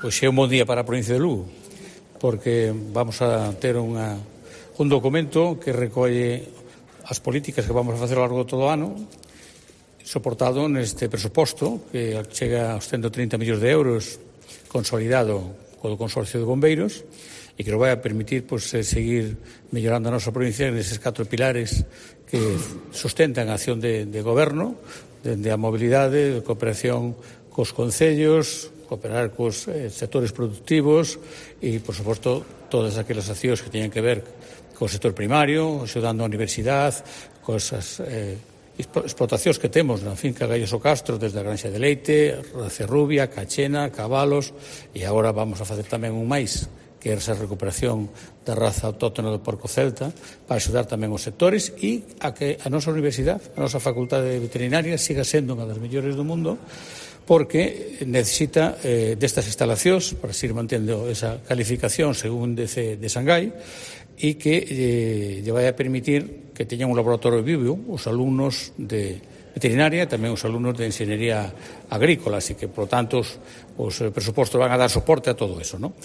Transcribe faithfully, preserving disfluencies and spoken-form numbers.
Pois é un bon día para a provincia de Lugo, porque vamos a ter unha, un documento que recolle as políticas que vamos a facer ao largo de todo o ano, soportado neste presuposto, que chega aos ciento trinta millóns de euros, consolidado co Consorcio de Bombeiros, e que nos vai a permitir pues, seguir mellorando a nosa provincia neses catro pilares que sustentan a acción de, de goberno, dende a mobilidade, de cooperación cos concellos, cooperar cos eh, sectores productivos e, por suposto, todas aquelas accións que teñen que ver co sector primario, axudando a universidade, cosas eh, explotacións que temos na finca Gallos o Castro, desde a Granxa de Leite, Racerrubia, Cachena, Cabalos, e agora vamos a facer tamén un máis, que é esa recuperación da raza autóctona do porco celta, para axudar tamén os sectores e a que a nosa universidade, a nosa facultade veterinaria, siga sendo unha das mellores do mundo, porque necesita eh, destas instalacións para seguir mantendo esa calificación según D C de Shanghái e que eh, lle vai a permitir que teñan un laboratorio vivo os alumnos de veterinaria e tamén os alumnos de enxeñería agrícola, así que, por lo tanto, os, os presupostos van a dar soporte a todo eso, ¿no?